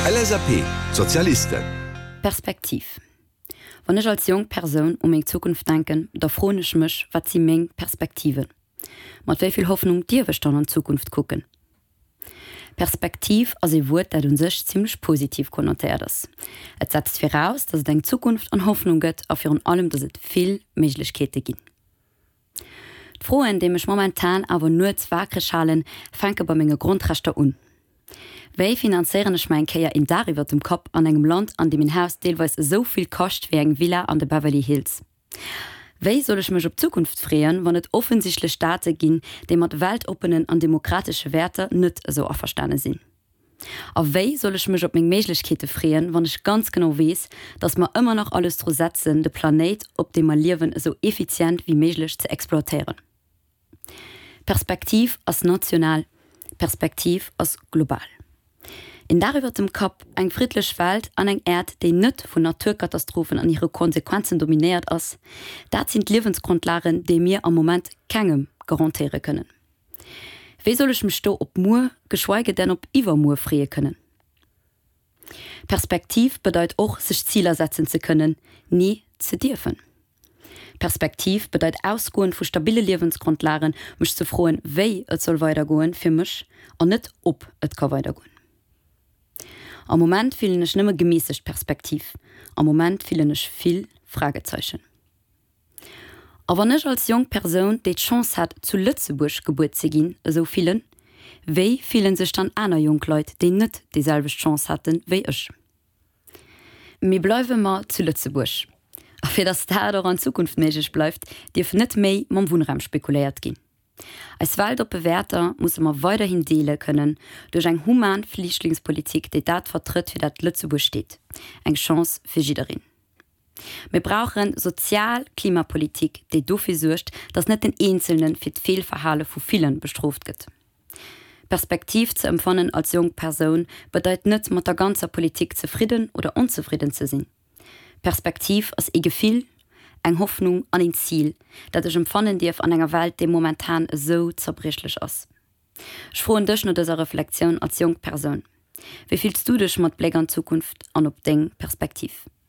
LSAP, Sozialisten. Perspektiv Wann ech als jonk Persoun u meng Zukunft denken, da froen ech mech, Wat si meng Perspektiven? Mat wéi vill Hoffnung dierf ech dann an d'Zukunft kucken? Perspektiv ass ee Wuert, dat un sech zimmlech positiv konnotéiert ass. Et setzt viraus, datt et eng Zukunft an Hoffnung gëtt a virun allem, datt et vill Méiglechkeete ginn. D'Froen, déi mech momentan awer nuets waakreg halen, fänke bei menge Grondrechter un. Wéi finanzéieren ech mer eng Kéier een Daach iwwert dem Kapp an engem Land, an deem een Haus deelweis esou vill kascht wéi eng Villa an de Beverly Hills? Wéi soll ech mech op d'Zukunft freeën, wann et offensichtlech Staate ginn, déi mat weltoppenen an demokratesche Wäerter net esou averstane sinn? A wéi soll ech mech op meng Méiglechkeete freeën, wann ech ganz genau weess, datt mer ëmmer nach alles dru setzen, de Planéit, op deem mer liewen, esou effizient wéi méiglech ze exploitéieren? Perspektiv ass national, Perspektiv ass global. Een Daach iwwer dem Kapp, eng friddlech Welt an eng Äerd, déi net vun Naturkatastrophen an hire Konsequenzen dominéiert ass, dat sinn d'Liewensgrondlagen, déi mir am Moment kengem garantéiere kënnen. Wéi soll ech mech do op muer, geschweige denn op iwwermuer freeë kënnen? Perspektiv bedeit och, sech Ziler setzen ze kënnen, nee, ze dierfen. Perspektiv bedeit ausgoend vu stabille Liewensgrondlagen, mech ze froen, wéi et soll weidergoen fir mech an net ob et ka weidergoen. Am Moment fillen ech nëmme gemässegt Perspektiv. Am Moment fillen ech vill Fragezeichen. A wann ech als jonk Persoun, déi d'Chance hat zu Lëtzebuerg gebuer ze ginn, esou fillen, wéi fillen sech dann aner jonk Leit, déi net déi selwecht Chance haten wéi ech? Mee bleiwe mer zu Lëtzebuerg. A fir datt dat och an Zukunft méiglech bleift, dierf net méi mam Wunnraum spekuléiert ginn. Eis weltoppe Wäerter musse mer weiderhin deele kënnen duerch eng human Flichtlingspolitik, déi dat vertrëtt, fir dat Lëtzebuerg steet, eng Chance fir jiddereen. Mir brauche sozial Klimapolitik, déi dofir suergt, datt net den Eenzelne fir d'Feelverhale vu ville bestrooft gëtt. Perspektiv ze empfannen als jonk Persoun bedeit net mat der ganzer Politik zefridden oder onzefridden ze sinn. Perspektiv ass ee Gefill, eng Hoffnung an een Zil, dat ech empfannen dierf an enger Welt, déi momentan esou zerbriechlech ass. Ech froen dech no dëser Reflektioun als jonk Persoun, Wéi fills du dech mat Bléck an d'Zukunft an op deng Perspektiv?